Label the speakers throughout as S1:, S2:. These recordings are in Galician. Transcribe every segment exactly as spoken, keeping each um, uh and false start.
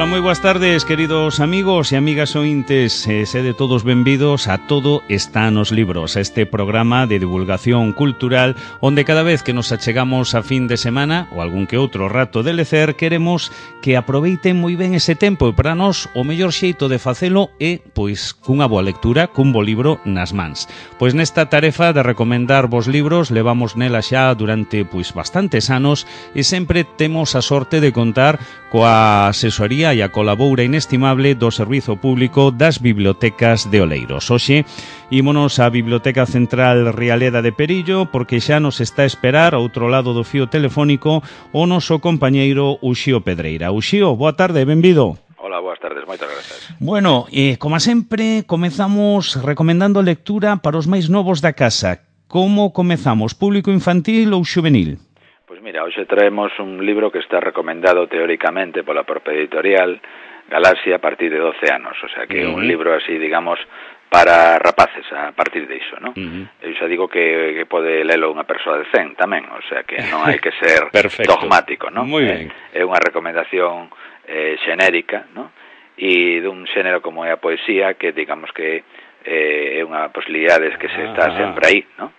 S1: Ola, moi boas tardes, queridos amigos e amigas ointes. eh, Sede todos benvidos a Todo está nos libros, este programa de divulgación cultural onde cada vez que nos achegamos a fin de semana ou algún que outro rato de lecer, queremos que aproveiten moi ben ese tempo, e para nós o mellor xeito de facelo é, pois, cunha boa lectura, cun bo libro nas mans. Pois nesta tarefa de recomendar vos libros levamos nela xa durante, pois, bastantes anos e sempre temos a sorte de contar coa asesoría e a colabora inestimable do Servizo Público das Bibliotecas de Oleiros. Hoxe, ímonos á Biblioteca Central Rialeda de Perillo porque xa nos está a esperar ao outro lado do fío telefónico o noso compañeiro Uxío Pedreira. Uxío, boa tarde, benvido.
S2: Hola, boas tardes, moitas grazas.
S1: Bueno, eh, como sempre, comezamos recomendando lectura para os máis novos da casa. Como comezamos, público infantil ou xuvenil?
S2: Pois mira, hoxe traemos un libro que está recomendado teóricamente pola propia editorial Galaxia a partir de doce anos, o sea que é uh -huh. un libro así, digamos, para rapaces a partir de iso, ¿no? Uh -huh. Eu xa digo que, que pode lelo unha persoa de cen tamén, o sea que non hai que ser dogmático, ¿no?
S1: Moi ben.
S2: É, é unha recomendación eh, xenérica, ¿no? E dun xénero como é a poesía, que digamos que eh, é unha posibilidade que se está ah, sempre aí, ¿no?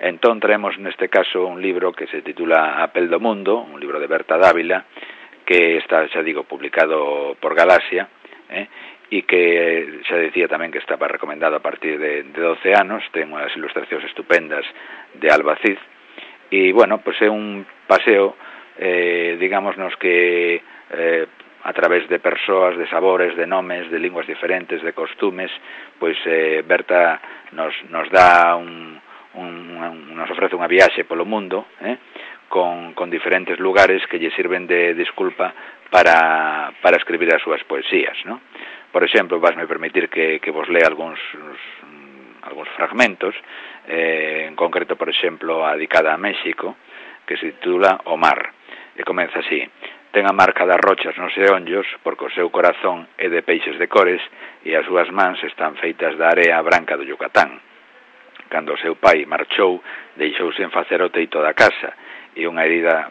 S2: Entón traemos neste caso un libro que se titula A pel do mundo, un libro de Berta Dávila, que está, xa digo, publicado por Galaxia, eh, e que xa decía tamén que estaba recomendado a partir de, de doce anos, ten unhas ilustracións estupendas de Albacid, e, bueno, pois é un paseo, eh, digamos, nos que eh, a través de persoas, de sabores, de nomes, de linguas diferentes, de costumes, pois eh, Berta nos, nos dá un Un, un, nos ofrece unha viaxe polo mundo eh, con, con diferentes lugares que lle sirven de disculpa para, para escribir as súas poesías, ¿no? Por exemplo, vasme permitir que, que vos lea algúns algúns fragmentos, eh, en concreto, por exemplo, a dedicada a México, que se titula O mar, e comeza así: ten a marca das rochas nos eonllos, porque o seu corazón é de peixes de cores e as súas mans están feitas da area branca do Yucatán. Cando o seu pai marchou, deixou sen facer o teito da casa e unha herida,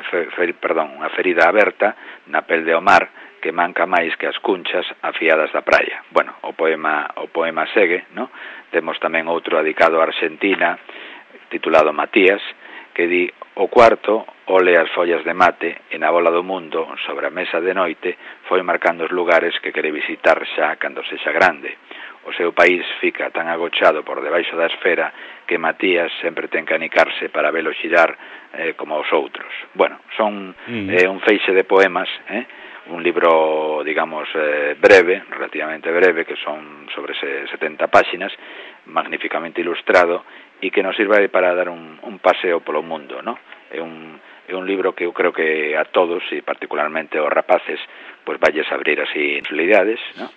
S2: fe, fe, perdón, unha ferida aberta na pel de o mar que manca máis que as cunchas afiadas da praia. Bueno, o poema o poema segue, ¿no? Temos tamén outro dedicado a Argentina, titulado Matías, que di: o cuarto ole as follas de mate e na bola do mundo, sobre a mesa de noite, foi marcando os lugares que quere visitar xa cando sexa grande. O seu país fica tan agochado por debaixo da esfera que Matías sempre ten que anicarse para velo xirar eh, como os outros. Bueno, son mm. eh, un feixe de poemas, eh, un libro, digamos, eh, breve, relativamente breve, que son sobre setenta páxinas, magníficamente ilustrado, e que nos sirve para dar un, un paseo polo mundo, ¿no? É un, é un libro que eu creo que a todos, e particularmente aos rapaces, pues valles abrir así posibilidades, ¿no?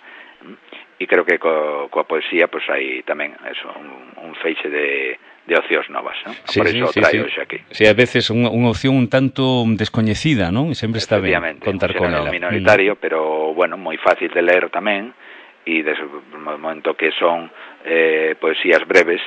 S2: E creo que co, coa poesía pois pues, hai tamén eso, un, un feixe de, de ocios novas, ¿no?
S1: Sí,
S2: por
S1: sí,
S2: iso
S1: sí,
S2: traio
S1: sí.
S2: xa aquí.
S1: Sí, a veces unha, unha opción un tanto descoñecida, non? E sempre está ben contar con ela.
S2: Minoritario, mm. pero, bueno, moi fácil de ler tamén, e desde o momento que son eh, poesías breves,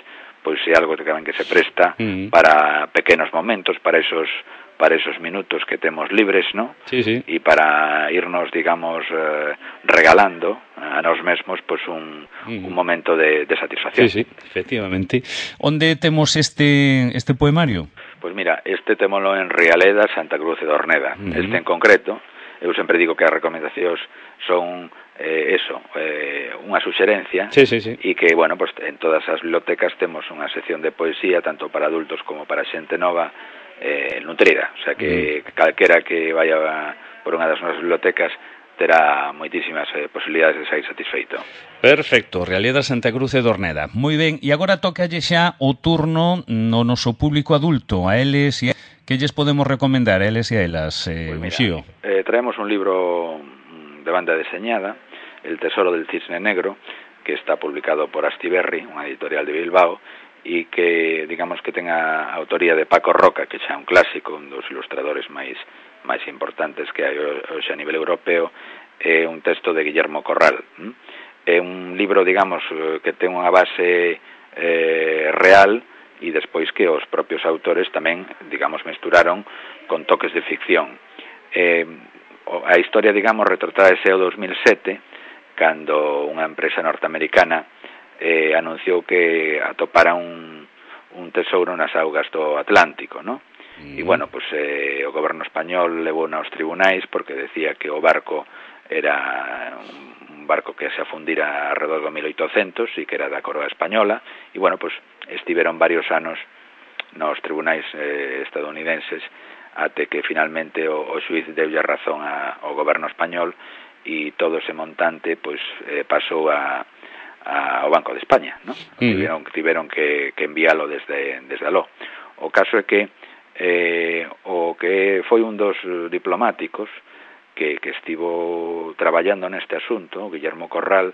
S2: pois é algo que tamén que se presta mm. para pequenos momentos, para esos para esos minutos que temos libres, ¿no?
S1: Sí, sí.
S2: E para irnos, digamos, eh, regalando a nós mesmos pois un, mm. un momento de, de satisfacción.
S1: Sí, sí, efectivamente. Onde temos este este poemario?
S2: Pois mira, este témolo en Rialeda, Santa Cruz de Dorneda. Mm. Este en concreto, eu sempre digo que as recomendacións son eh, eso, eh, unha suxerencia,
S1: sí, sí, sí.
S2: E que, bueno, pues en todas as bibliotecas temos unha sección de poesía, tanto para adultos como para xente nova, eh, nutrida, o sea que mm. calquera que vaya por unha das nosas bibliotecas terá moitísimas eh, posibilidades de sair satisfeito.
S1: Perfecto, Rialeda Santa Cruz de Dorneda. Moi ben, e agora tocalle xa o turno no noso público adulto, a eles e a... que lles podemos recomendar a eles e a elas, eh,
S2: pues
S1: Uxío?
S2: Eh, traemos un libro de banda deseñada, El tesoro del cisne negro, que está publicado por Astiberri, unha editorial de Bilbao, e que, digamos, que ten a autoría de Paco Roca, que xa é un clásico, un dos ilustradores máis máis importantes que hai hoxe a nivel europeo, é un texto de Guillermo Corral. É un libro, digamos, que ten unha base eh, real, e despois que os propios autores tamén, digamos, mesturaron con toques de ficción. Eh, a historia, digamos, retrotráese ao dos mil sete, cando unha empresa norteamericana eh, anunciou que atopara un, un tesouro nas augas do Atlántico, ¿no? Mm. E, bueno, pues, eh, o goberno español levou aos tribunais porque decía que o barco era un barco que se afundira alrededor do mil oitocentos e que era da coroa española, e, bueno, pues, estiveron varios anos nos tribunais eh, estadounidenses até que finalmente o, o xuiz deulle razón a, ao goberno español e todo ese montante pois eh, pasou a, a, ao Banco de España, ¿no? Mm. Tiveron, tiveron que, que enviálo desde, desde aló. O caso é que eh, o que foi un dos diplomáticos que, que estivo traballando neste asunto, Guillermo Corral,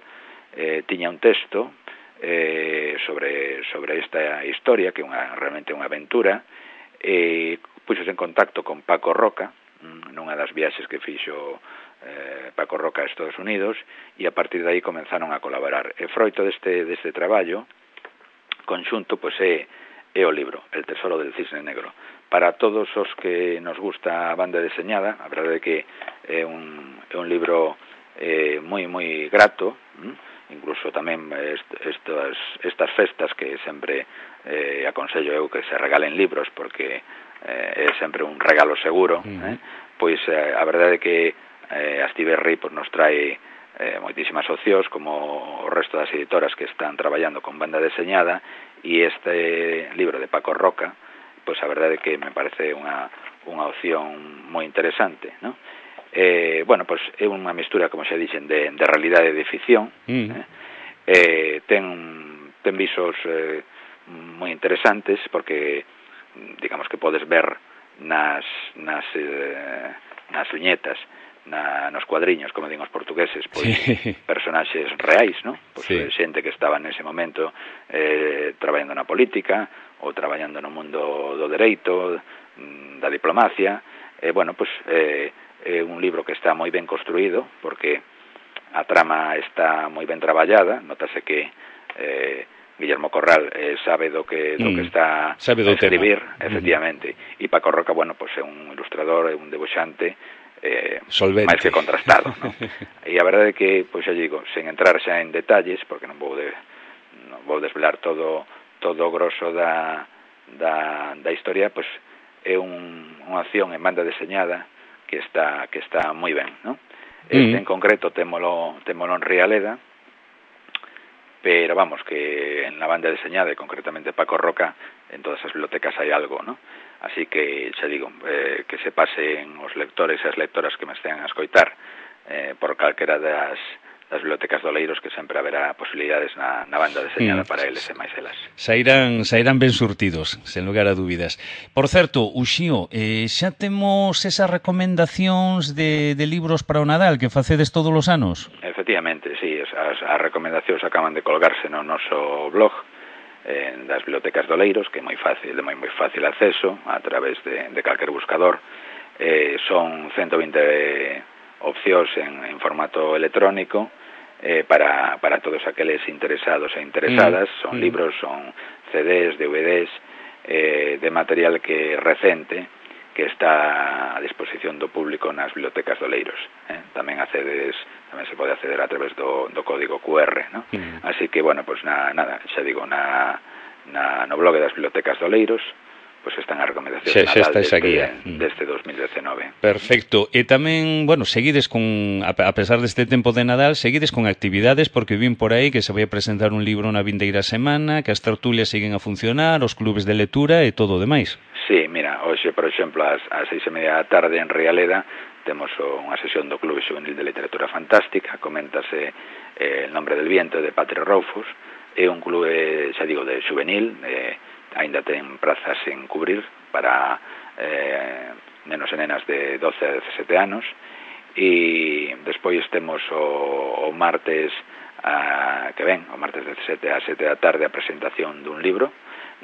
S2: eh, tiña un texto eh, sobre, sobre esta historia, que é unha, realmente unha aventura, e eh, puxos en contacto con Paco Roca, nunha das viaxes que fixo eh, Paco Roca a Estados Unidos, e a partir de aí comenzaron a colaborar. E froito deste, deste traballo conxunto, pois é, é o libro El tesoro del cisne negro. Para todos os que nos gusta a banda deseñada, a verdade é que é un, é un libro eh, moi, moi grato, hm? Incluso tamén est, estas, estas festas que sempre eh, aconsello eu que se regalen libros, porque eh, é sempre un regalo seguro, mm. eh? Pois eh, a verdade é que eh, Astiberri pues, nos trae eh, moitísimas opcións, como o resto das editoras que están traballando con banda deseñada, e este libro de Paco Roca, pois a verdade é que me parece unha, unha opción moi interesante, ¿no? Eh, bueno, pois é unha mistura, como xa dixen, de, de realidade e de ficción, mm. eh? Eh, ten, ten visos eh, moi interesantes, porque digamos que podes ver nas, nas, eh, nas viñetas, na, nos cuadriños, como din os portugueses, pois, sí. Personaxes reais, ¿no? Pois, sí. Xente que estaba nese momento eh, traballando na política ou traballando no mundo do dereito, da diplomacia. Eh, bueno, pois eh, é un libro que está moi ben construído, porque a trama está moi ben traballada, notase que eh, Guillermo Corral eh, sabe do que do mm, que está
S1: sabe do
S2: a escribir,
S1: tema.
S2: Efectivamente, e mm. Paco Roca, bueno, pois é un ilustrador, é un debuxante eh,
S1: máis
S2: que contrastado, ¿no? E a verdade é que, pois xa digo, sen entrar xa en detalles, porque non vou de, non vou desvelar todo todo o grosso da, da, da historia, pois é un, unha acción en banda deseñada que está que está moi ben, ¿no? Este mm. en concreto témolo, témolo en Rialeda, pero vamos, que en la banda deseñada, e concretamente Paco Roca, en todas as bibliotecas hai algo, ¿no? Así que, xa digo, eh, que se pasen os lectores e as lectoras que me estean a escoitar eh, por calquera das, das bibliotecas de Oleiros, que sempre haberá posibilidades na, na banda deseñada mm. para eles e máis elas.
S1: Sairán, sairán ben surtidos, sen lugar a dúbidas. Por certo, Uxío, eh, xa temos esas recomendacións de, de libros para o Nadal que facedes todos os anos?
S2: Efectivamente, sí, as, as recomendacións acaban de colgarse no noso blog eh, das bibliotecas de Oleiros, que é moi fácil, de moi, moi fácil acceso a través de, de calquer buscador. Eh, son ciento vinte opcións en, en formato electrónico, Eh, para, para todos aqueles interesados e interesadas. Mm. Son mm. libros, son C Ds, D V Ds, eh, de material que recente, que está a disposición do público nas bibliotecas de Oleiros. Eh? Tamén accedes, tamén se pode acceder a través do, do código Q R, ¿no? Mm. Así que, bueno, pues na, nada, xa digo, na, na, no blog das bibliotecas de Oleiros, pois pues están as recomendacións
S1: sí, Nadal deste,
S2: deste dos mil dezenove.
S1: Perfecto. E tamén, bueno, seguides con, a pesar deste tempo de Nadal, seguides con actividades, porque vin por aí que se vai a presentar un libro na vindeira semana, que as tertulias siguen a funcionar, os clubes de lectura e todo o demais.
S2: Sí, mira, hoxe, por exemplo, ás, ás seis e media da tarde en Rialeda temos unha sesión do Clube Juvenil de Literatura Fantástica, coméntase eh, El nombre del viento de Patrick Rothfuss, é un clube, xa digo, de juvenil, eh, ainda ten prazas en cubrir para eh, nenos e nenas de doce a dezasete anos, e despois temos o, o martes a, que ven, o martes dezasete a sete da tarde a presentación dun libro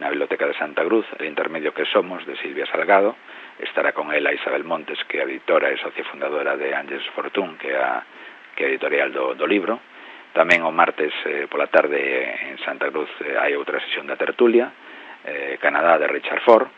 S2: na Biblioteca de Santa Cruz, El intermedio que somos, de Silvia Salgado. Estará con ela Isabel Montes, que é editora e socia fundadora de Ángeles Fortún, que é a que é editorial do, do libro. Tamén o martes eh, pola tarde en Santa Cruz eh, hai outra sesión da tertulia, Eh, Canadá, de Richard Ford,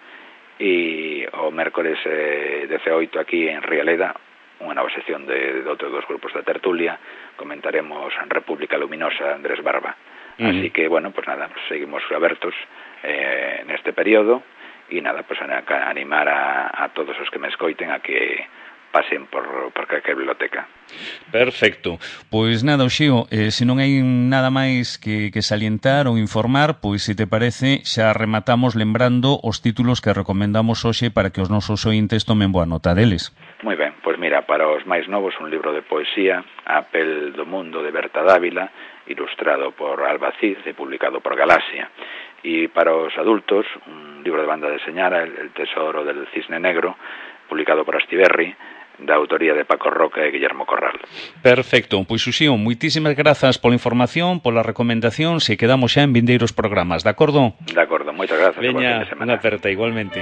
S2: e o mércores eh, dezenoito aquí en Rialeda unha nova sección de, de outro dos grupos da tertulia, comentaremos República Luminosa, Andrés Barba. Uh -huh. Así que, bueno, pues nada, pues seguimos abertos eh, neste período, e nada, pues a, a animar a, a todos os que me escoiten a que pasen por, por calquer biblioteca.
S1: Perfecto. Pois nada, Oxío, eh, se non hai nada máis que, que salientar ou informar, pois se te parece, xa rematamos lembrando os títulos que recomendamos hoxe para que os nosos ointes tomen boa nota deles.
S2: Moi ben, pois mira, para os máis novos un libro de poesía, A pel do mundo de Berta Dávila, ilustrado por Alba Cid e publicado por Galaxia. E para os adultos, un libro de banda deseñada, El tesoro del cisne negro, publicado por Astiberri, da autoría de Paco Roca e Guillermo Corral.
S1: Perfecto, pois Uxío, moitísimas grazas pola información, pola recomendación, se quedamos xa en vindeiros programas, de acordo?
S2: De acordo, moitas grazas.
S1: Veña, unha aperta igualmente.